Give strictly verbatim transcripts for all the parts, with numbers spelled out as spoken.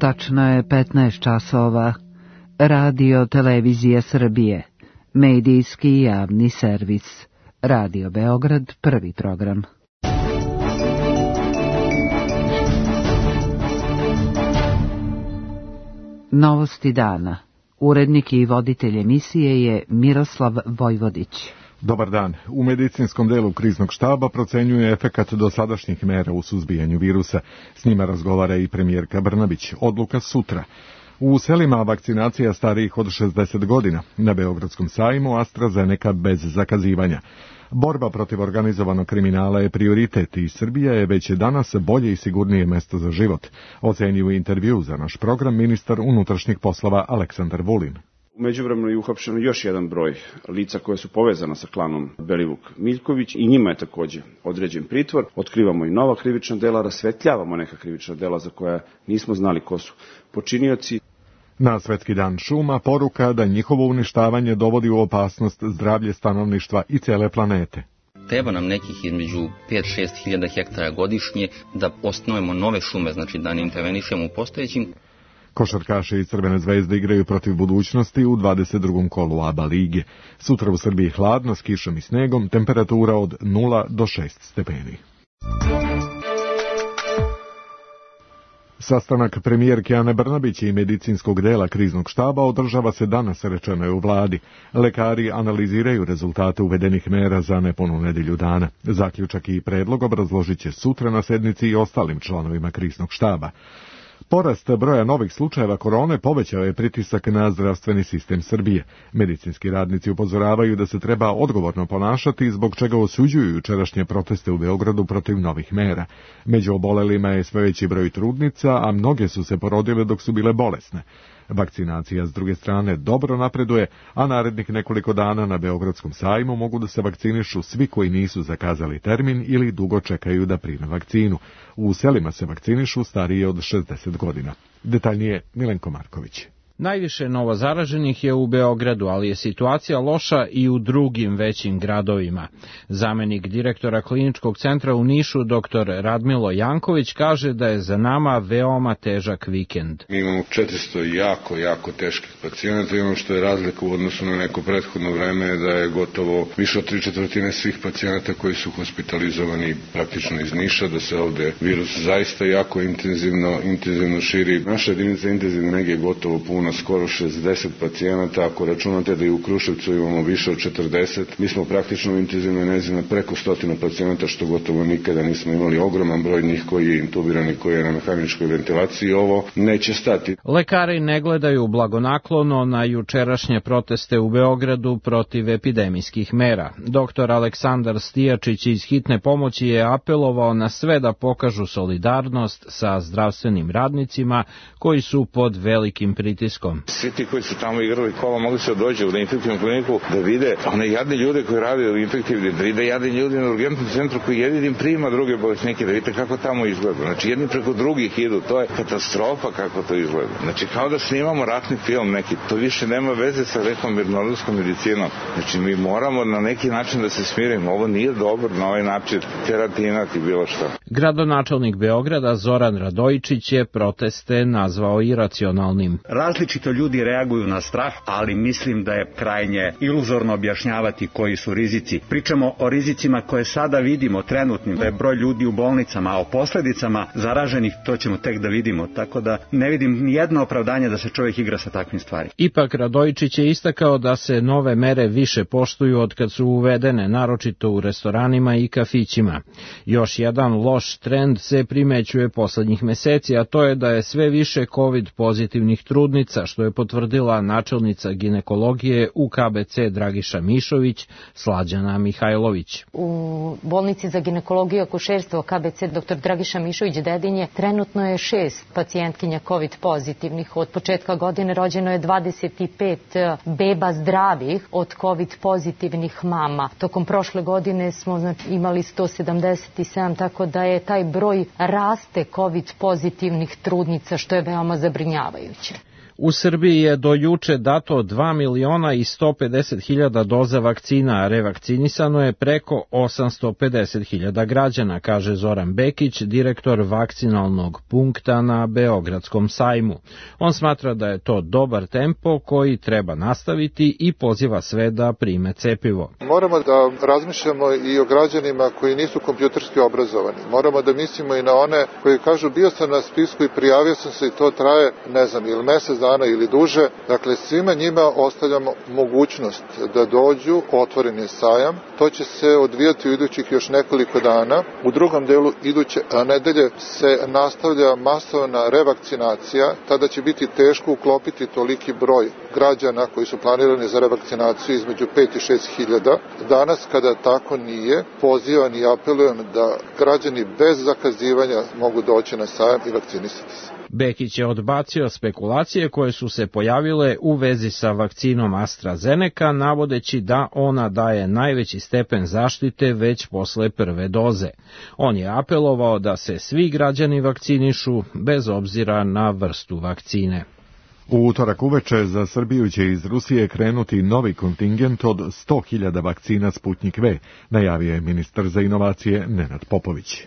Tačno je petnaest časova. Radio Televizija Srbije. Medijski javni servis. Radio Beograd, prvi program. Novosti dana. Urednik i voditelj emisije je Miroslav Vojvodić. Dobar dan. U medicinskom delu kriznog štaba procenjuje efekat dosadašnjih mera u suzbijanju virusa. S njima razgovara i premijerka Brnabić. Odluka sutra. U selima vakcinacija starijih od šezdeset godina. Na Beogradskom sajmu AstraZeneca bez zakazivanja. Borba protiv organizovanog kriminala je prioritet i Srbija je već danas bolje i sigurnije mesto za život. Ocenio u intervju za naš program ministar unutrašnjih poslova Aleksandar Vulin. U međuvremenu je uhapšeno još jedan broj lica koje su povezana sa klanom Belivuk-Miljković i njima je takođe određen pritvor. Otkrivamo i nova krivična dela, rasvetljavamo neka krivična dela za koja nismo znali ko su počinioci. Na Svetski dan šuma poruka da njihovo uništavanje dovodi u opasnost zdravlje stanovništva i cele planete. Treba nam nekih između pet do šest hiljada hektara godišnje da osnujemo nove šume, znači da ne intervenišemo u postojećim. Košarkaši iz Crvene zvezde igraju protiv budućnosti u dvadeset drugom kolu A B A lige. Sutra u Srbiji hladno s kišom i snegom, temperatura od nula do šest stepeni. Sastanak premijerke Ane Brnabić i medicinskog dela kriznog štaba održava se danas, rečeno je u vladi. Lekari analiziraju rezultate uvedenih mera za nepunu nedelju dana. Zaključak i predlog obrazložit će sutra na sednici i ostalim članovima kriznog štaba. Porast broja novih slučajeva korone povećao je pritisak na zdravstveni sistem Srbije. Medicinski radnici upozoravaju da se treba odgovorno ponašati, zbog čega osuđuju jučerašnje proteste u Beogradu protiv novih mera. Među obolelima je sve veći broj trudnica, a mnoge su se porodile dok su bile bolesne. Vakcinacija, s druge strane, dobro napreduje, a narednih nekoliko dana na Beogradskom sajmu mogu da se vakcinišu svi koji nisu zakazali termin ili dugo čekaju da prime vakcinu. U selima se vakcinišu starije od šezdeset godina. Detaljnije Milenko Marković. Najviše novozaraženih je u Beogradu, ali je situacija loša i u drugim većim gradovima. Zamenik direktora kliničkog centra u Nišu, doktor Radmilo Janković, kaže da je za nama veoma težak vikend. Mi imamo četiristo jako, jako teških pacijenata i ono što je razlika u odnosu na neko prethodno vreme je da je gotovo više od tri četvrtine svih pacijenata koji su hospitalizovani praktično iz Niša, da se ovde virus zaista jako intenzivno, intenzivno širi. Naša jedinica intenzivne nege je gotovo puno, skoro šezdeset pacijenata, ako računate da i u Kruševcu imamo više od četrdeset, mi smo praktično u intenzivnoj nezi na preko stotinu pacijenata, što gotovo nikada nismo imali, ogroman broj njih koji je intubiran i koji je na mehaničkoj ventilaciji. Ovo neće stati. Lekari ne gledaju blagonaklono na jučerašnje proteste u Beogradu protiv epidemijskih mera. Doktor Aleksandar Stijačić iz hitne pomoći je apelovao na sve da pokažu solidarnost sa zdravstvenim radnicima koji su pod velikim pritiskom. Svi ti koji su tamo igrali kola mogli se dođu u infektivnu kliniku da vide one jadne ljude koji rade u infektivni, da vide jadne ljudi na urgentnom centru koji jedini prima druge bolesnike, da vidite kako tamo izgleda. Znači jedni preko drugih idu, to je katastrofa kako to izgleda. Znači kao da snimamo ratni film neki, to više nema veze sa nekom mirnodopskom medicinom. Znači mi moramo na neki način da se smirimo, ovo nije dobro na ovaj način teratinati bilo šta. Gradonačelnik Beograda Zoran Radojičić je proteste nazvao iracionalnim. Različito ljudi reaguju na strah, ali mislim da je krajnje iluzorno objašnjavati koji su rizici. Pričamo o rizicima koje sada vidimo trenutnim, da je broj ljudi u bolnicama, a o posledicama zaraženih to ćemo tek da vidimo, tako da ne vidim ni jedno opravdanje da se čovjek igra sa takvim stvarima. Ipak Radojičić je istakao da se nove mere više poštuju od kad su uvedene, naročito u restoranima i kafićima. Još jedan loš trend se primećuje poslednjih meseci, a to je da je sve više COVID pozitivnih trudnica, što je potvrdila načelnica ginekologije u K B C Dragiša Mišović, Slađana Mihajlović. U bolnici za ginekologiju i akušerstvo K B C dr Dragiša Mišović Dedinje trenutno je šest pacijentkinja COVID pozitivnih. Od početka godine rođeno je dvadeset pet beba zdravih od COVID pozitivnih mama. Tokom prošle godine smo znači, imali sto sedamdeset sedam, tako da je taj broj raste COVID pozitivnih trudnica, što je veoma zabrinjavajuće. U Srbiji je do juče dato dva miliona i sto pedeset hiljada doza vakcina, a revakcinisano je preko osamsto pedeset hiljada građana, kaže Zoran Bekić, direktor vakcinalnog punkta na Beogradskom sajmu. On smatra da je to dobar tempo koji treba nastaviti i poziva sve da prime cepivo. Moramo da razmišljamo i o građanima koji nisu kompjuterski obrazovani. Moramo da mislimo i na one koji kažu bio sam na spisku i prijavio sam se i to traje, ne znam, ili mesec dana ili duže. Dakle, svima njima ostavljamo mogućnost da dođu, otvoren je sajam. To će se odvijati u idućih još nekoliko dana. U drugom delu iduće nedelje se nastavlja masovna revakcinacija. Tada će biti teško uklopiti toliki broj građana koji su planirani za revakcinaciju između pet i šest hiljada. Danas, kada tako nije, pozivam i apelujem da građani bez zakazivanja mogu doći na sajam i vakcinisati se. Bekić je odbacio spekulacije koje su se pojavile u vezi sa vakcinom AstraZeneca, navodeći da ona daje najveći stepen zaštite već posle prve doze. On je apelovao da se svi građani vakcinišu bez obzira na vrstu vakcine. U utorak uveče za Srbiju će iz Rusije krenuti novi kontingent od sto hiljada vakcina Sputnik V, najavio je ministar za inovacije Nenad Popović.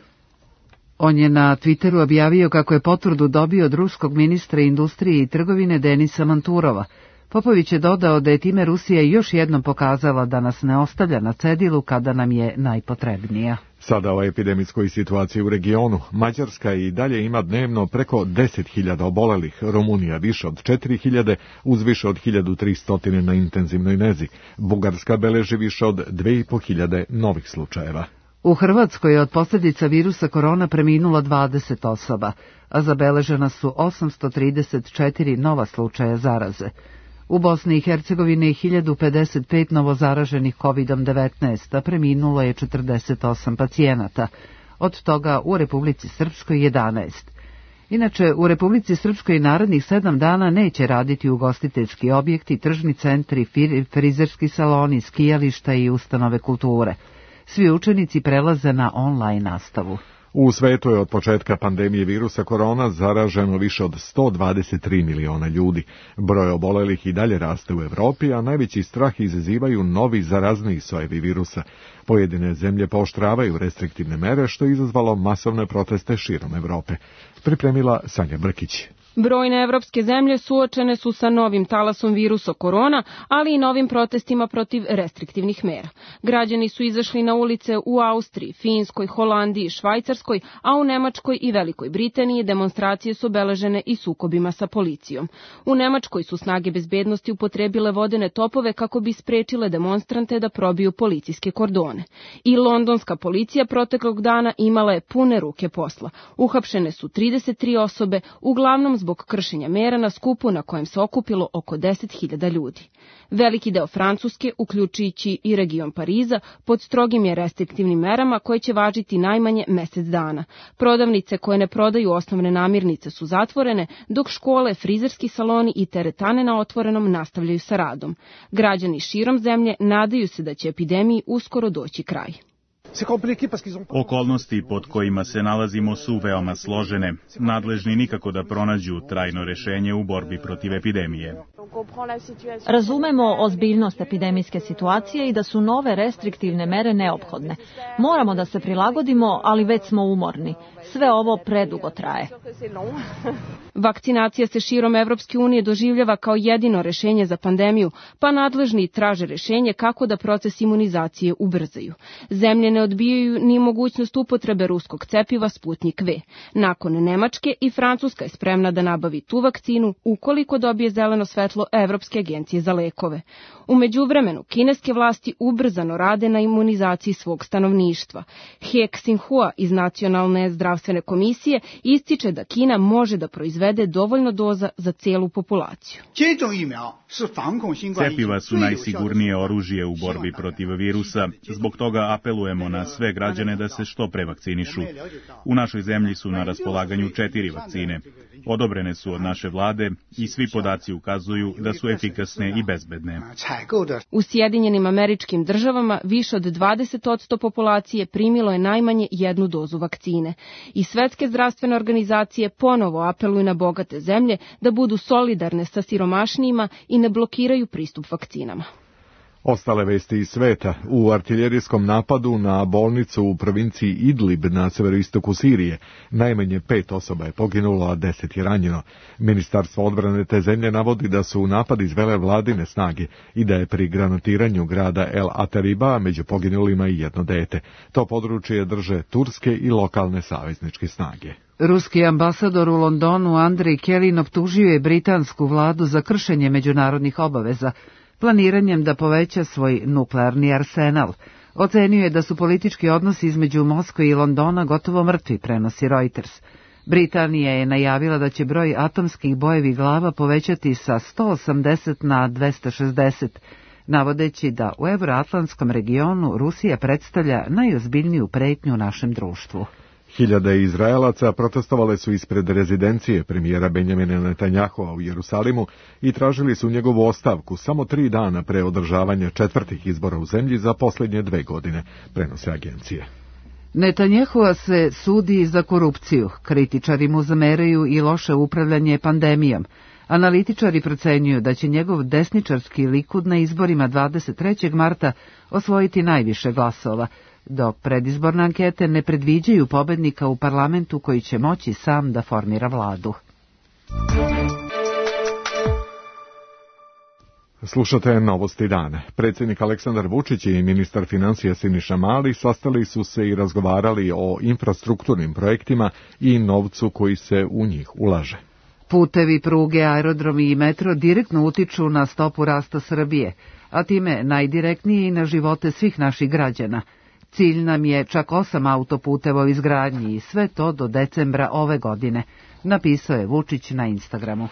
On je na Twitteru objavio kako je potvrdu dobio od ruskog ministra industrije i trgovine Denisa Manturova. Popović je dodao da je time Rusija još jednom pokazala da nas ne ostavlja na cedilu kada nam je najpotrebnija. Sada o epidemijskoj situaciji u regionu. Mađarska i dalje ima dnevno preko deset hiljada obolelih, Rumunija više od četiri hiljade, uz više od hiljadu tristo na intenzivnoj nezi. Bugarska beleži više od dve i po hiljade novih slučajeva. U Hrvatskoj je od posljedica virusa korona preminulo dvadeset osoba, a zabeležena su osamsto trideset četiri nova slučaja zaraze. U Bosni i Hercegovini je hiljadu pedeset pet novozaraženih kovidom devetnaest, a preminulo je četrdeset osam pacijenata, od toga u Republici Srpskoj jedanaest. Inače, u Republici Srpskoj narednih sedam dana neće raditi ugostiteljski objekti, tržni centri, frizerski saloni, skijališta i ustanove kulture. Svi učenici prelaze na online nastavu. U svetu je od početka pandemije virusa korona zaraženo više od sto dvadeset tri miliona ljudi. Broj obolelih i dalje raste u Evropi, a najveći strah izazivaju novi zarazniji sojevi virusa. Pojedine zemlje pooštravaju restriktivne mere, što je izazvalo masovne proteste širom Evrope. Pripremila Sanja Brkić. Brojne evropske zemlje suočene su sa novim talasom virusa korona, ali i novim protestima protiv restriktivnih mera. Građani su izašli na ulice u Austriji, Finskoj, Holandiji, Švajcarskoj, a u Nemačkoj i Velikoj Britaniji demonstracije su obeležene i sukobima sa policijom. U Nemačkoj su snage bezbednosti upotrebile vodene topove kako bi sprečile demonstrante da probiju policijske kordone. I londonska policija proteklog dana imala je pune ruke posla. Uhapšene su trideset tri osobe, uglavnom zbog kršenja mera na skupu na kojem se okupilo oko deset hiljada ljudi. Veliki deo Francuske, uključujući i region Pariza, pod strogim je restriktivnim merama koje će važiti najmanje mesec dana. Prodavnice koje ne prodaju osnovne namirnice su zatvorene, dok škole, frizerski saloni i teretane na otvorenom nastavljaju sa radom. Građani širom zemlje nadaju se da će epidemiji uskoro doći kraj. Okolnosti pod kojima se nalazimo su veoma složene. Nadležni nikako da pronađu trajno rešenje u borbi protiv epidemije. Razumemo ozbiljnost epidemijske situacije i da su nove restriktivne mere neophodne. Moramo da se prilagodimo, ali već smo umorni. Sve ovo predugo traje. Vakcinacija se širom Evropske unije doživljava kao jedino rešenje za pandemiju, pa nadležni traže rešenje kako da proces imunizacije ubrzaju. Zemlje ne odbijaju ni mogućnost upotrebe ruskog cepiva Sputnik V. Nakon Nemačke i Francuska je spremna da nabavi tu vakcinu ukoliko dobije zeleno svetlo Evropske agencije za lekove. U međuvremenu, kineske vlasti ubrzano rade na imunizaciji svog stanovništva. He Xinhua iz Nacionalne zdravstvene komisije ističe da Kina može da proizvede dovoljno doza za celu populaciju. Cepiva su najsigurnije oružje u borbi protiv virusa, zbog toga apelujemo na sve građane da se što pre vakcinišu. U našoj zemlji su na raspolaganju četiri vakcine. Odobrene su od naše vlade i svi podaci ukazuju da su efikasne i bezbedne. U Sjedinjenim Američkim Državama više od dvadeset posto populacije primilo je najmanje jednu dozu vakcine. I Svetske zdravstvene organizacije ponovo apeluju na bogate zemlje da budu solidarne sa siromašnijima i ne blokiraju pristup vakcinama. Ostale vesti iz sveta. U artiljerijskom napadu na bolnicu u provinciji Idlib na severoistoku Sirije najmanje pet osoba je poginulo, a deset je ranjeno. Ministarstvo odbrane te zemlje navodi da su napad izvele vladine snage i da je pri granatiranju grada El Atariba među poginulima i jedno dete. To područje drže turske i lokalne savezničke snage. Ruski ambasador u Londonu Andrej Kelin optužio je britansku vladu za kršenje međunarodnih obaveza, planiranjem da poveća svoj nuklearni arsenal. Ocenio je da su politički odnosi između Moskve i Londona gotovo mrtvi, prenosi Reuters. Britanija je najavila da će broj atomskih bojevih glava povećati sa sto osamdeset na dvesta šezdeset, navodeći da u euroatlantskom regionu Rusija predstavlja najozbiljniju pretnju u našem društvu. Hiljade Izraelaca protestovale su ispred rezidencije premijera Benjamina Netanjahua u Jerusalimu i tražili su njegovu ostavku samo tri dana pre održavanja četvrtih izbora u zemlji za posljednje dve godine, prenose agencije. Netanjahua se sudi za korupciju, kritičari mu zameraju i loše upravljanje pandemijom. Analitičari procenjuju da će njegov desničarski Likud na izborima dvadeset trećeg marta osvojiti najviše glasova, dok predizborne ankete ne predviđaju pobednika u parlamentu koji će moći sam da formira vladu. Slušate novosti dana. Predsjednik Aleksandar Vučić i ministar financija Siniša Mali sastali su se i razgovarali o infrastrukturnim projektima i novcu koji se u njih ulaže. Putevi, pruge, aerodromi i metro direktno utiču na stopu rasta Srbije, a time najdirektnije i na živote svih naših građana. Cilj nam je čak osam autoputeva u izgradnji i sve to do decembra ove godine, napisao je Vučić na Instagramu.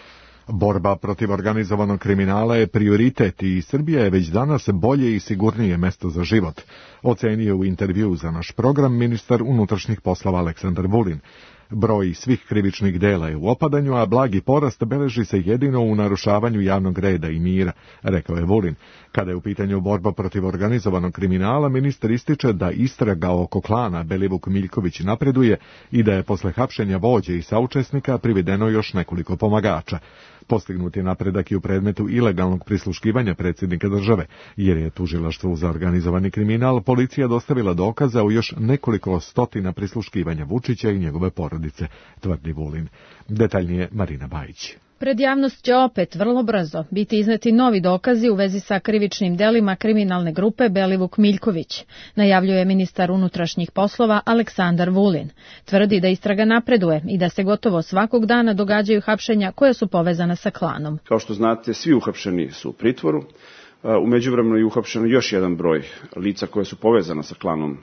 Borba protiv organizovanog kriminala je prioritet i Srbija je već danas bolje i sigurnije mesto za život, ocenio u intervjuu za naš program ministar unutrašnjih poslova Aleksandar Vulin. Broj svih krivičnih dela je u opadanju, a blagi porast beleži se jedino u narušavanju javnog reda i mira, rekao je Vulin. Kada je u pitanju borba protiv organizovanog kriminala, ministar ističe da istraga oko klana Belivuk-Miljković napreduje i da je posle hapšenja vođe i saučesnika privedeno još nekoliko pomagača. Postignut je napredak i u predmetu ilegalnog prisluškivanja predsjednika države, jer je tužilaštvu za organizovani kriminal policija dostavila dokaza u još nekoliko stotina prisluškivanja Vučića i njegove porodice, tvrdi Vulin. Detaljnije Marina Bajić. Pred javnost će opet vrlo brzo biti izneti novi dokazi u vezi sa krivičnim delima kriminalne grupe Belivuk-Miljković, najavljuje ministar unutrašnjih poslova Aleksandar Vulin. Tvrdi da istraga napreduje i da se gotovo svakog dana događaju hapšenja koja su povezana sa klanom. Kao što znate, svi uhapšeni su u pritvoru. U međuvremenu je uhapšeno još jedan broj lica koja su povezana sa klanom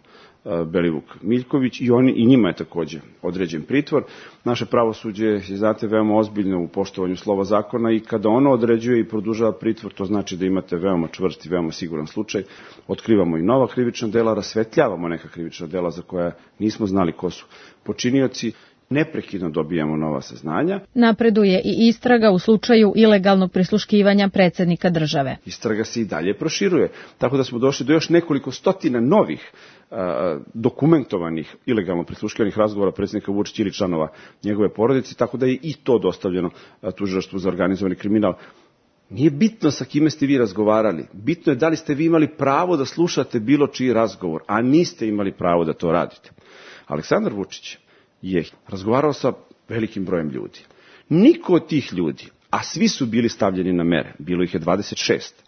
Belivuk-Miljković i oni i njima je takođe određen pritvor. Naše pravosuđe je, znate, veoma ozbiljno u poštovanju slova zakona i kada ono određuje i produžava pritvor, to znači da imate veoma čvrst i veoma siguran slučaj. Otkrivamo i nova krivična dela, rasvetljavamo neka krivična dela za koja nismo znali ko su počinioci. Neprekidno dobijamo nova saznanja. Napreduje i istraga u slučaju ilegalnog prisluškivanja predsjednika države. Istraga se i dalje proširuje, tako da smo došli do još nekoliko stotina novih a, dokumentovanih ilegalno prisluškivanih razgovora predsjednika Vučića ili članova njegove porodice, tako da je i to dostavljeno tužilaštvu za organizovani kriminal. Nije bitno sa kime ste vi razgovarali, bitno je da li ste vi imali pravo da slušate bilo čiji razgovor, a niste imali pravo da to radite. Aleksandar Vučić je razgovarao sa velikim brojem ljudi. Niko od tih ljudi, a svi su bili stavljeni na mere, bilo ih je dvadeset šest,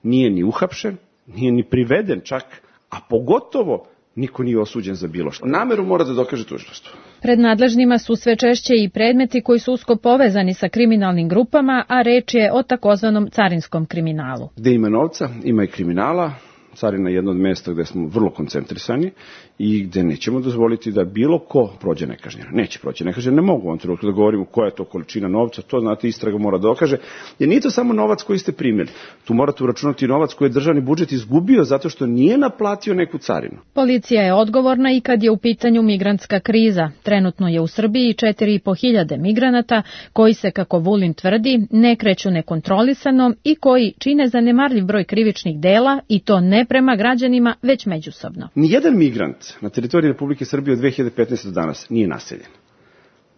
nije ni uhapšen, nije ni priveden čak, a pogotovo niko nije osuđen za bilo što. Nameru mora da dokaže tužilaštvo. Pred nadležnima su sve češće i predmeti koji su usko povezani sa kriminalnim grupama, a reč je o takozvanom carinskom kriminalu. Gde ima novca, ima i kriminala. Carina je jedno od mesta gde smo vrlo koncentrisani i gde nećemo dozvoliti da bilo ko prođe nekažnjeno. Neće proći nekažnjeno, ne mogu u ovom trenutku da govorimo koja je to količina novca, to znate istraga mora dokaže, jer nije to samo novac koji ste primili. Tu morate uračunati novac koji je državni budžet izgubio zato što nije naplatio neku carinu. Policija je odgovorna i kad je u pitanju migrantska kriza. Trenutno je u Srbiji četiri i po hiljade migranata koji se, kako Vulin tvrdi, ne kreću nekontrolisano i koji čine zanemarljiv broj krivičnih dela i to ne prema građanima, već međusobno. Nijedan migrant na teritoriji Republike Srbije od dve hiljade petnaeste do danas nije naseljen.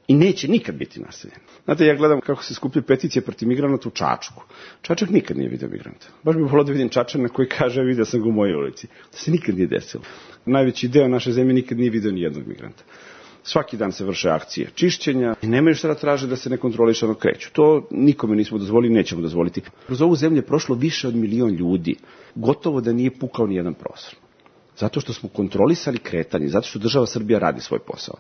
I neće nikad biti naseljen. Znate, ja gledam kako se skupljaju peticije protiv migranata u Čačku. Čačak nikad nije vidio migranta. Baš bih volio da vidim Čačana koji kaže, vidio sam ga u mojoj ulici. To se nikad nije desilo. Najveći deo naše zemlje nikad nije vidio ni jednog migranta. Svaki dan se vrše akcije čišćenja i nemaju šta da traže da se nekontrolišano kreću. To nikome nismo dozvolili, nećemo dozvoliti. Kroz ovu zemlju je prošlo više od milion ljudi. Gotovo da nije pukao ni jedan prozor. Zato što smo kontrolisali kretanje, zato što država Srbija radi svoj posao.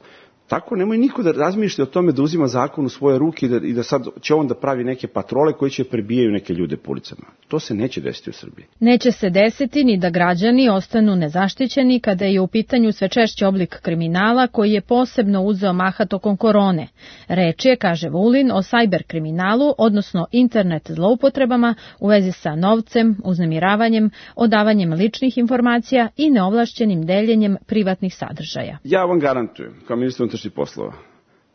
Tako nemoj niko da razmišlja o tome da uzima zakon u svoje ruke i da, i da sad će on da pravi neke patrole koji će prebijaju neke ljude po ulicama. To se neće desiti u Srbiji. Neće se desiti ni da građani ostanu nezaštićeni kada je u pitanju sve češći oblik kriminala koji je posebno uzeo maha tokom korone. Reč je, kaže Vulin, o sajber kriminalu, odnosno internet zloupotrebama u vezi sa novcem, uznemiravanjem, odavanjem ličnih informacija i neovlašćenim deljenjem privatnih sadržaja. Ja vam garantujem, kao ministar unutrašnjih poslova,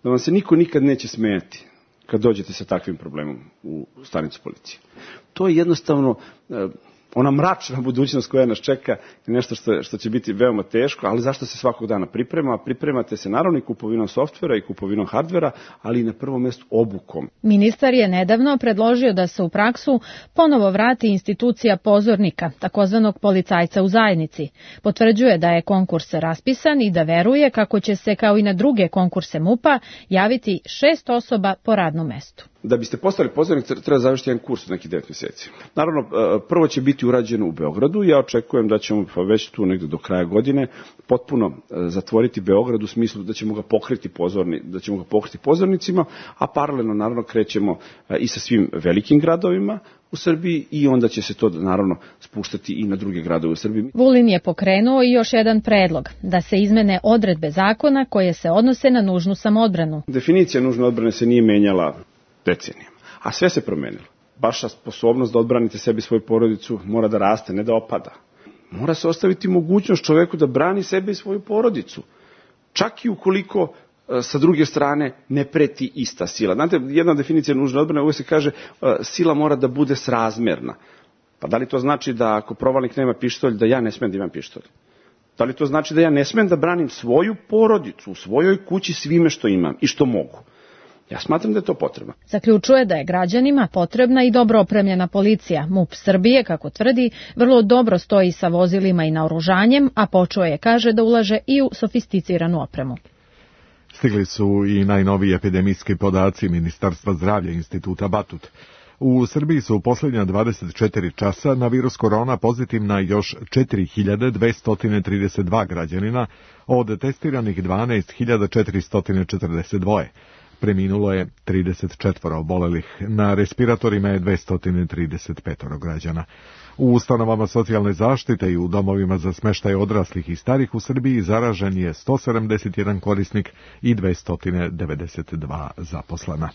da vam se niko nikad neće smejati kad dođete sa takvim problemom u stanicu policije. To je jednostavno ona mračna budućnost koja nas čeka je nešto što, što će biti veoma teško, ali zašto se svakog dana priprema? Pripremate se naravno i kupovinom softvera i kupovinom hardvera, ali i na prvom mjestu obukom. Ministar je nedavno predložio da se u praksu ponovo vrati institucija pozornika, takozvanog policajca u zajednici. Potvrđuje da je konkurs raspisan i da veruje kako će se, kao i na druge konkurse MUP-a, javiti šest osoba po radnom mestu. Da biste postali pozornik, treba završiti jedan kurs od nekih devet mjeseci. Naravno, prvo će biti urađeno u Beogradu. Ja očekujem da ćemo već tu negde do kraja godine potpuno zatvoriti Beograd u smislu da ćemo ga pokriti pozorni, da ćemo ga pokriti pozornicima, a paralelno naravno krećemo i sa svim velikim gradovima u Srbiji i onda će se to naravno spuštati i na druge gradove u Srbiji. Vulin je pokrenuo i još jedan predlog, da se izmene odredbe zakona koje se odnose na nužnu samoodbranu. Definicija nužne odbrane se nije menjala decenijama, a sve se promenilo. Vaša sposobnost da odbranite sebi i svoju porodicu mora da raste, ne da opada. Mora se ostaviti mogućnost čoveku da brani sebe i svoju porodicu. Čak i ukoliko sa druge strane ne preti ista sila. Znate, jedna definicija nužne odbrane uvijek se kaže sila mora da bude srazmerna. Pa da li to znači da ako provalnik nema pištolj, da ja ne smem da imam pištolj? Da li to znači da ja ne smem da branim svoju porodicu u svojoj kući svime što imam i što mogu? Ja smatram da je to potrebno. Zaključuje da je građanima potrebna i dobro opremljena policija. MUP Srbije, kako tvrdi, vrlo dobro stoji sa vozilima i naoružanjem, a počeo je, kaže, da ulaže i u sofisticiranu opremu. Stigli su i najnoviji epidemijski podaci Ministarstva zdravlja Instituta Batut. U Srbiji su u posljednja dvadeset četiri časa na virus korona pozitivna još četiri hiljade dvesta trideset dva građanina, od testiranih dvanaest hiljada četiristo četrdeset dva. Preminulo je trideset četiri obolelih, na respiratorima je dvesta trideset pet građana. U ustanovama socijalne zaštite i u domovima za smještaj odraslih i starih u Srbiji zaražen je sto sedamdeset jedan korisnik i dvesta devedeset dva zaposlena.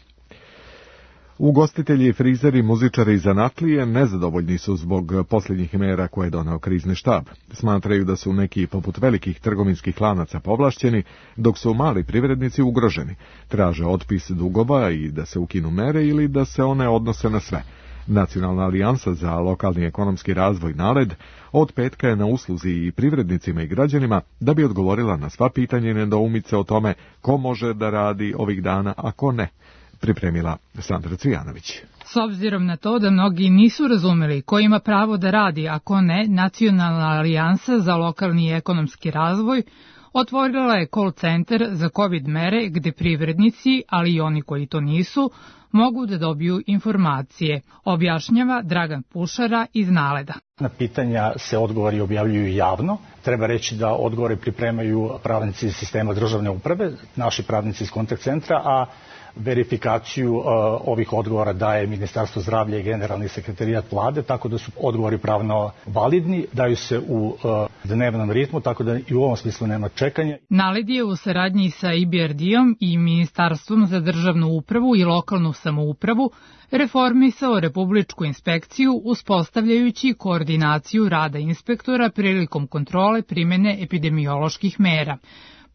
Ugostitelji, frizeri, muzičari i zanatlije nezadovoljni su zbog posljednjih mera koje je doneo krizni štab. Smatraju da su neki poput velikih trgovinskih lanaca povlašćeni, dok su mali privrednici ugroženi. Traže otpis dugova i da se ukinu mere ili da se one odnose na sve. Nacionalna alijansa za lokalni ekonomski razvoj NALED od petka je na usluzi i privrednicima i građanima da bi odgovorila na sva pitanja i nedoumice o tome ko može da radi ovih dana, a ko ne. Pripremila Sandra Cvijanović. S obzirom na to da mnogi nisu razumeli ko ima pravo da radi, a ko ne, Nacionalna alijansa za lokalni i ekonomski razvoj otvorila je call centar za COVID mere gde privrednici, ali i oni koji to nisu, mogu da dobiju informacije, objašnjava Dragan Pušara iz NALED-a. Na pitanja se odgovori objavljuju javno. Treba reći da odgovore pripremaju pravnici iz sistema državne uprave, naši pravnici iz kontakt centra, a verifikaciju uh, ovih odgovora daje Ministarstvo zdravlja i Generalni sekretarijat vlade, tako da su odgovori pravno validni, daju se u uh, dnevnom ritmu, tako da i u ovom smislu nema čekanja. NALED je u saradnji sa I B R D-om i Ministarstvom za državnu upravu i lokalnu samoupravu reformisao Republičku inspekciju uspostavljajući koordinaciju rada inspektora prilikom kontrole primene epidemioloških mera.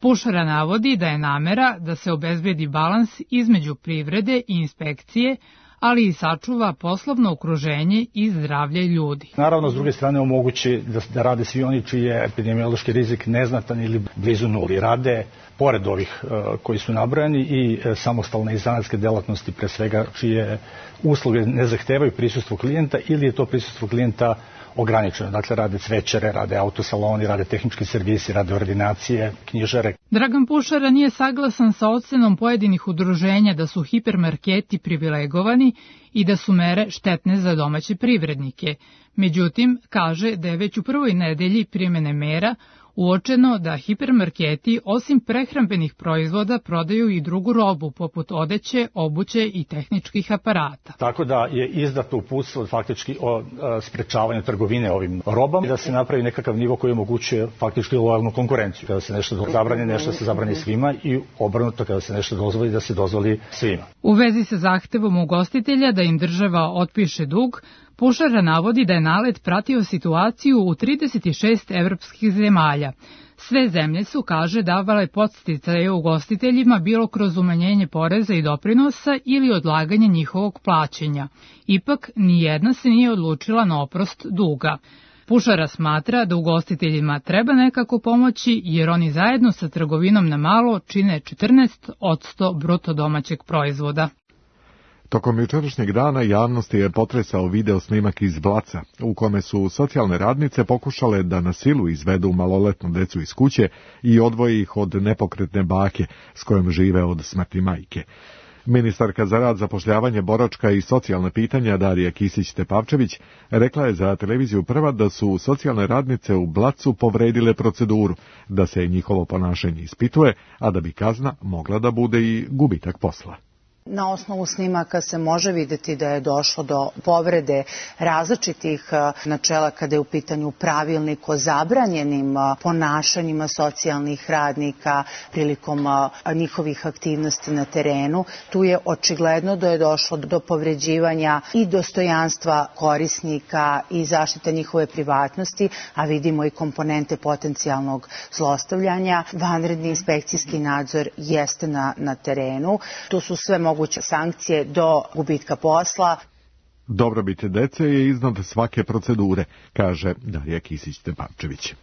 Pušara navodi da je namera da se obezbedi balans između privrede i inspekcije, ali i sačuva poslovno okruženje i zdravlje ljudi. Naravno, s druge strane omogući da, da rade svi oni čiji je epidemiološki rizik neznatan ili blizu nuli. Rade pored ovih uh, koji su nabrojani i uh, samostalne i zanatske delatnosti, pre svega čije usluge ne zahtevaju prisustvo klijenta ili je to prisustvo klijenta ograničeno. Dakle, rade cvećare, rade autosaloni, rade tehnički servisi, rade ordinacije, knjižare. Dragan Pušara nije saglasan sa ocenom pojedinih udruženja da su hipermarketi privilegovani i da su mere štetne za domaće privrednike. Međutim, kaže da je već u prvoj nedelji primene mera uočeno da hipermarketi osim prehrambenih proizvoda prodaju i drugu robu poput odeće, obuće i tehničkih aparata. Tako da je izdato uputstvo faktički o sprečavanju trgovine ovim robama i da se napravi nekakav nivo koji omogućuje faktički lojalnu konkurenciju. Kada se nešto zabrani, nešto se zabrani svima i obrnuto kada se nešto dozvoli, da se dozvoli svima. U vezi sa zahtevom ugostitelja da im država otpiše dug, Pušara navodi da je NALED pratio situaciju u trideset šest evropskih zemalja. Sve zemlje su, kaže, davale podsticaje ugostiteljima bilo kroz umanjenje poreza i doprinosa ili odlaganje njihovog plaćanja. Ipak, nijedna se nije odlučila na oprost duga. Pušara smatra da ugostiteljima treba nekako pomoći jer oni zajedno sa trgovinom na malo čine četrnaest posto bruto domaćeg proizvoda. Tokom jučerašnjeg dana javnosti je potresao video snimak iz Blaca, u kome su socijalne radnice pokušale da na silu izvedu maloletnu decu iz kuće i odvoje ih od nepokretne bake s kojom žive od smrti majke. Ministarka za rad, zapošljavanje, boračka i socijalna pitanja Darija Kisić-Tepavčević rekla je za televiziju Prva da su socijalne radnice u Blacu povredile proceduru, da se njihovo ponašanje ispituje, a da bi kazna mogla da bude i gubitak posla. Na osnovu snimaka se može vidjeti da je došlo do povrede različitih načela kada je u pitanju pravilnik o zabranjenim ponašanjima socijalnih radnika prilikom njihovih aktivnosti na terenu. Tu je očigledno da je došlo do povređivanja i dostojanstva korisnika i zaštita njihove privatnosti, a vidimo i komponente potencijalnog zlostavljanja. Vanredni inspekcijski nadzor jeste na, na terenu. Tu su sve moguće sankcije do gubitka posla. Dobrobit dece je iznad svake procedure, kaže Darija Kisić-Tepavčević.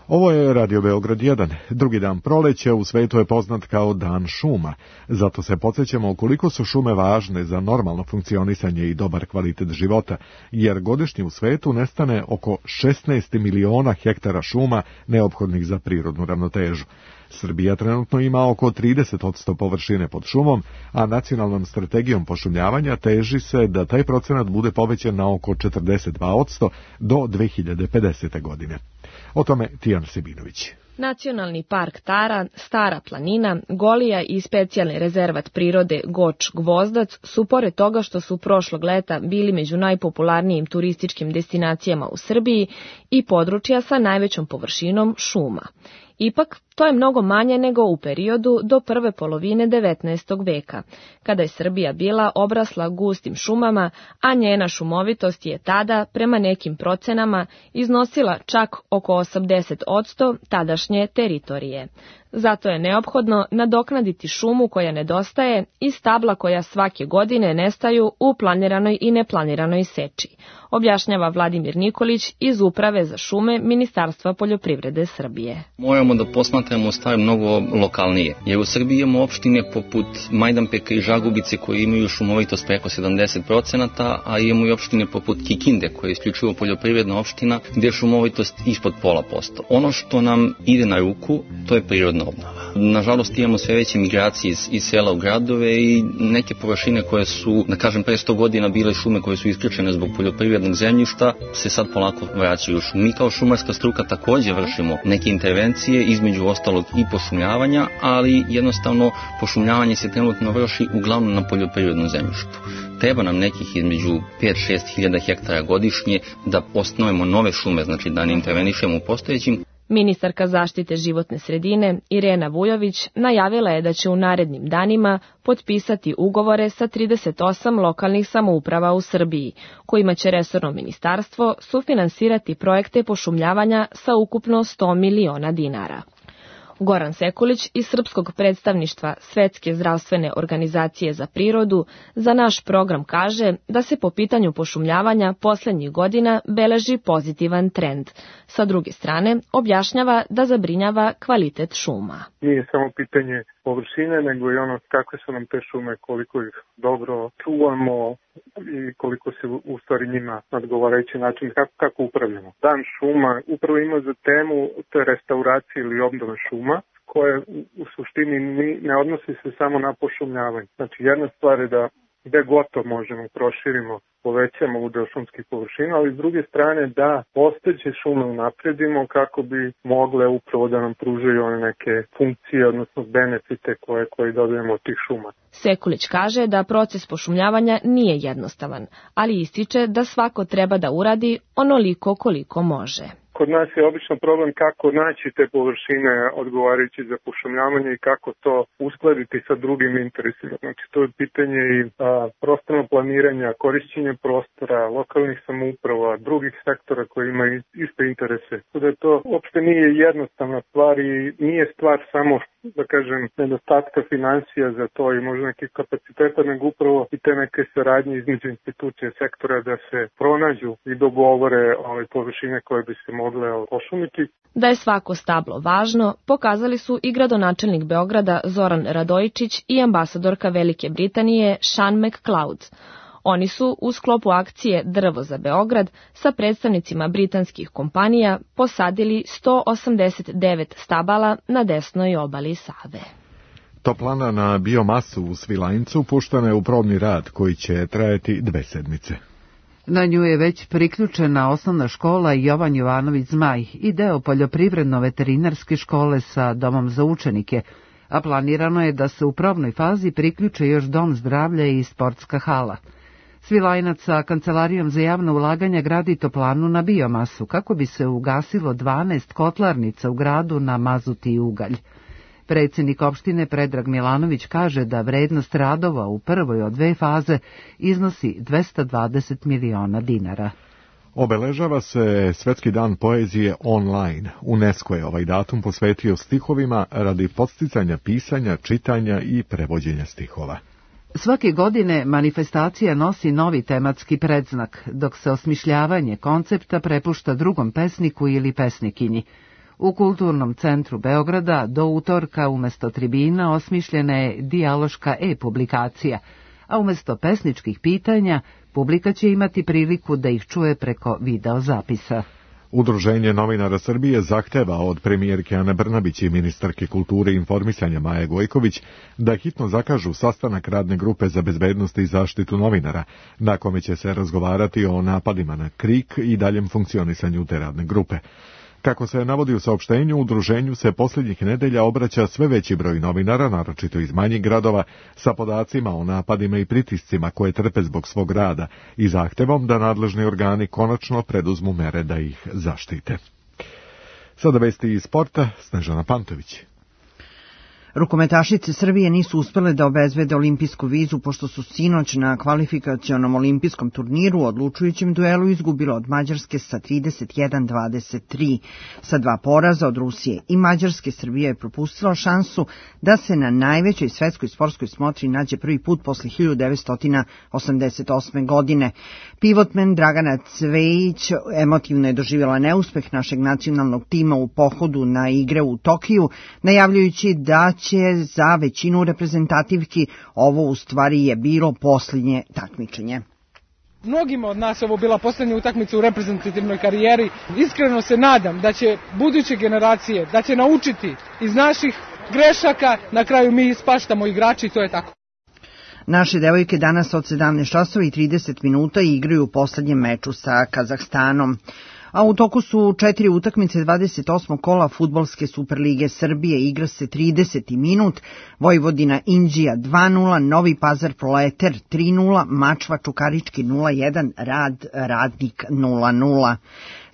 Ovo je Radio Beograd jedan. Drugi dan proleća u svetu je poznat kao Dan šuma. Zato se podsjećamo koliko su šume važne za normalno funkcionisanje i dobar kvalitet života, jer godišnje u svetu nestane oko šesnaest miliona hektara šuma neophodnih za prirodnu ravnotežu. Srbija trenutno ima oko trideset posto površine pod šumom, a nacionalnom strategijom pošumljavanja teži se da taj procenat bude povećan na oko četrdeset dva posto do dve hiljade pedesete. godine. O tome Tijan Sebinović. Nacionalni park Tara, Stara planina, Golija i specijalni rezervat prirode Goč-Gvozdac su pored toga što su prošlog leta bili među najpopularnijim turističkim destinacijama u Srbiji i područja sa najvećom površinom šuma. Ipak, to je mnogo manje nego u periodu do prve polovine devetnaestog veka, kada je Srbija bila obrasla gustim šumama, a njena šumovitost je tada, prema nekim procenama, iznosila čak oko osamdeset posto tadašnje teritorije. Zato je neophodno nadoknaditi šumu koja nedostaje i stabla koja svake godine nestaju u planiranoj i neplaniranoj seči, objašnjava Vladimir Nikolić iz Uprave za šume Ministarstva poljoprivrede Srbije. Moramo da posmatramo stvari mnogo lokalnije, jer u Srbiji imamo opštine poput Majdanpeka i Žagubice koje imaju šumovitost preko sedamdeset procenata, a imamo i opštine poput Kikinde koja je isključivo poljoprivredna opština gdje je šumovitost ispod pola posto. Ono što nam ide na ruku, to je prirodno kompletna obnova. Nažalost imamo sve veće migracije iz, iz sela u gradove i neke površine koje su, da kažem, pre sto godina bile šume koje su isključene zbog poljoprivrednog zemljišta, se sad polako vraćaju. Mi kao šumarska struka takođe vršimo neke intervencije, između ostalog i pošumljavanja, ali jednostavno pošumljavanje se trenutno vrši uglavnom na poljoprivrednom zemljištu. Treba nam nekih između pet do šest hiljada hektara godišnje da osnovimo nove šume, znači da ne intervenišemo u postojećim. Ministarka zaštite životne sredine Irena Vujović najavila je da će u narednim danima potpisati ugovore sa trideset osam lokalnih samouprava u Srbiji, kojima će resorno ministarstvo sufinansirati projekte pošumljavanja sa ukupno sto miliona dinara. Goran Sekulić iz Srpskog predstavništva Svetske zdravstvene organizacije za prirodu za naš program kaže da se po pitanju pošumljavanja poslednjih godina beleži pozitivan trend. Sa druge strane, objašnjava da zabrinjava kvalitet šuma. Nije samo pitanje površine, nego i ono kakve su nam te šume, koliko ih dobro čuvamo i koliko se u stvari njima na odgovarajući način, kako, kako upravljamo. Dan šuma upravo ima za temu te restauracije ili obnove šuma, koje u suštini ne odnosi se samo na pošumljavanje. Znači jedna stvar je da gde gotovo možemo proširimo, povećamo udeo šumskih površina, ali s druge strane da postojeće šume unapredimo kako bi mogle upravo da nam pružaju one neke funkcije, odnosno benefite koje, koje dobijemo od tih šuma. Sekulić kaže da proces pošumljavanja nije jednostavan, ali ističe da svako treba da uradi onoliko koliko može. Kod nas je obično problem kako naći te površine odgovarajući za pošumljavanje i kako to uskladiti sa drugim interesima. Znači to je pitanje i a, prostorno planiranja, korišćenja prostora, lokalnih samouprava, drugih sektora koji imaju iste interese. Da to uopšte nije jednostavna stvar i nije stvar samo, da kažem, nedostatka financija za to i možda nekih kapaciteta, nego upravo i te neke saradnje između institucije sektora da se pronađu i dogovore ove površine koje bi se mogle pošumiti. Da je svako stablo važno, pokazali su i gradonačelnik Beograda Zoran Radojičić i ambasadorka Velike Britanije Sean McCloud. Oni su u sklopu akcije Drvo za Beograd sa predstavnicima britanskih kompanija posadili sto osamdeset devet stabala na desnoj obali Save. Toplana na biomasu u Svilajncu puštena je u probni rad koji će trajati dve sedmice. Na nju je već priključena osnovna škola Jovan Jovanović Zmaj i deo poljoprivredno-veterinarske škole sa domom za učenike, a planirano je da se u probnoj fazi priključe još dom zdravlja i sportska hala. Svilajnac sa Kancelarijom za javno ulaganja gradi toplanu na biomasu kako bi se ugasilo dvanaest kotlarnica u gradu na mazut i ugalj. Predsjednik opštine Predrag Milanović kaže da vrednost radova u prvoj od dve faze iznosi dvesta dvadeset miliona dinara. Obeležava se Svetski dan poezije online. UNESCO je ovaj datum posvetio stihovima radi podsticanja pisanja, čitanja i prevođenja stihova. Svake godine manifestacija nosi novi tematski predznak, dok se osmišljavanje koncepta prepušta drugom pesniku ili pesnikinji. U Kulturnom centru Beograda do utorka umesto tribina osmišljena je dijaloška e-publikacija, a umesto pesničkih pitanja publika će imati priliku da ih čuje preko videozapisa. Udruženje novinara Srbije zahteva od premijerke Ane Brnabić i ministarke kulture i informisanja Maje Gojković da hitno zakažu sastanak radne grupe za bezbednost i zaštitu novinara, na kome će se razgovarati o napadima na KRIK i daljem funkcionisanju te radne grupe. Kako se navodi u saopštenju, udruženju se posljednjih nedelja obraća sve veći broj novinara, naročito iz manjih gradova, sa podacima o napadima i pritiscima koje trpe zbog svog rada i zahtevom da nadležni organi konačno preduzmu mere da ih zaštite. Sada vesti iz sporta, Snežana Pantović. Rukometašice Srbije nisu uspele da obezbede olimpijsku vizu pošto su sinoć na kvalifikacionom olimpijskom turniru u odlučujućem duelu izgubile od Mađarske sa trideset jedan dvadeset tri. Sa dva poraza od Rusije i Mađarske Srbija je propustila šansu da se na najvećoj svetskoj sportskoj smotri nađe prvi put posle hiljadu devetsto osamdeset osme. godine. Pivotmen Dragana Cvejić emotivno je doživjela neuspeh našeg nacionalnog tima u pohodu na igre u Tokiju, najavljujući da će za većinu reprezentativki ovo u stvari je bilo posljednje takmičenje. Mnogima od nas ovo bila posljednja utakmica u reprezentativnoj karijeri. Iskreno se nadam da će buduće generacije, da će naučiti iz naših grešaka, na kraju mi ispaštamo igrači i to je tako. Naše devojke danas od sedamnaest časova i trideset minuta igraju u poslednjem meču sa Kazahstanom. A u toku su četiri utakmice dvadeset osmog kola Fudbalske Superlige Srbije. Igra se trideseti minut, Vojvodina Inđija dva nula, Novi Pazar Proleter tri nula, Mačva Čukarički nula jedan, Rad Radnik nula nula.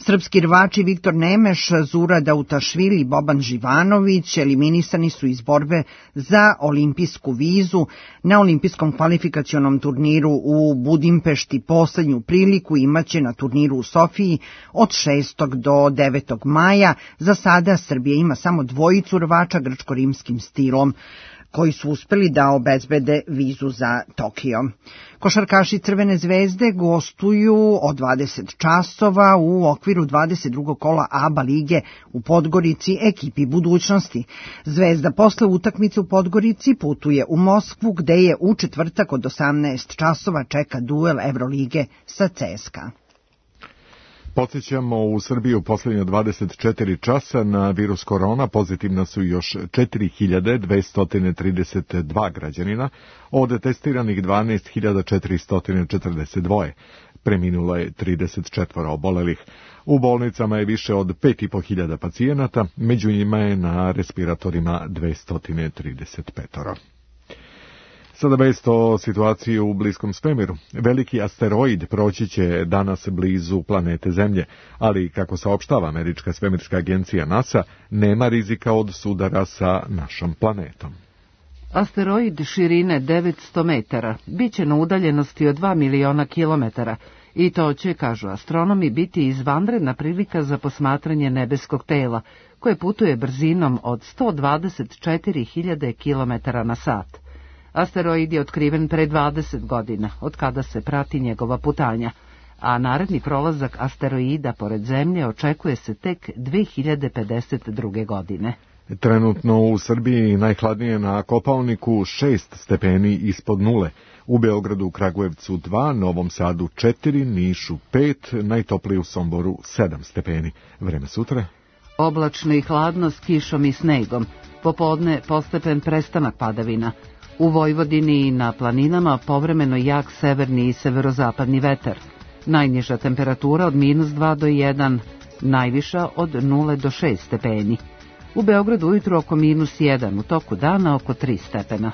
Srpski rvači Viktor Nemeš, Zura Dautašvili i Boban Živanović eliminisani su iz borbe za olimpijsku vizu na olimpijskom kvalifikacionom turniru u Budimpešti. Poslednju priliku imaće na turniru u Sofiji od šestog do devetog maja. Za sada Srbija ima samo dvojicu rvača grčko-rimskim stilom koji su uspeli da obezbede vizu za Tokio. Košarkaši Crvene zvezde gostuju od dvadeset časova u okviru dvadeset drugog kola A B A lige u Podgorici ekipi budućnosti. Zvezda posle utakmice u Podgorici putuje u Moskvu gde je u četvrtak od osamnaest časova čeka duel Evrolige sa C S K A. Podsjećamo, u Srbiji u posljednje dvadeset četiri časa na virus korona pozitivna su još četiri hiljade dvesta trideset dva građanina, od testiranih dvanaest hiljada četiristo četrdeset dva. Preminulo je trideset četiri obolelih. U bolnicama je više od pet i po hiljada pacijenata, među njima je na respiratorima dvesta trideset pet. Sada vest o situaciji u bliskom svemiru. Veliki asteroid proći će danas blizu planete Zemlje, ali, kako saopštava američka svemirska agencija NASA, nema rizika od sudara sa našom planetom. Asteroid širine devetsto metara biće na udaljenosti od dva miliona kilometara i to će, kažu astronomi, biti izvanredna prilika za posmatranje nebeskog tela, koje putuje brzinom od sto dvadeset četiri hiljade kilometara na sat. Asteroid je otkriven pre dvadeset godina, od kada se prati njegova putanja, a naredni prolazak asteroida pored Zemlje očekuje se tek dve hiljade pedeset druge. godine. Trenutno u Srbiji najhladnije na Kopaoniku šest stepeni ispod nule, u Beogradu, u Kragujevcu dva, Novom Sadu četiri, Nišu pet, najtoplije u Somboru sedam stepeni. Vreme sutra? Oblačno i hladno s kišom i snegom, popodne postepen prestanak padavina. U Vojvodini i na planinama povremeno jak severni i severozapadni vetar. Najniža temperatura od minus dva do jedan, najviša od nula do šest stepeni. U Beogradu ujutru oko minus jedan, u toku dana oko tri stepena.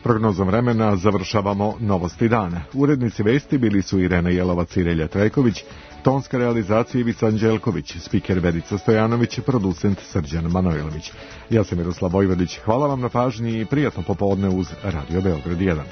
Prognozom vremena završavamo novosti dana. Urednici vesti bili su Irena Jelovac i Relja Trajković, tonska realizacija Ivica Anđelković, spiker Verica Stojanović, producent Srđan Manojlović. Ja sam Miroslav Vojvodić, hvala vam na pažnji i prijatno popodne uz Radio Beograd jedan.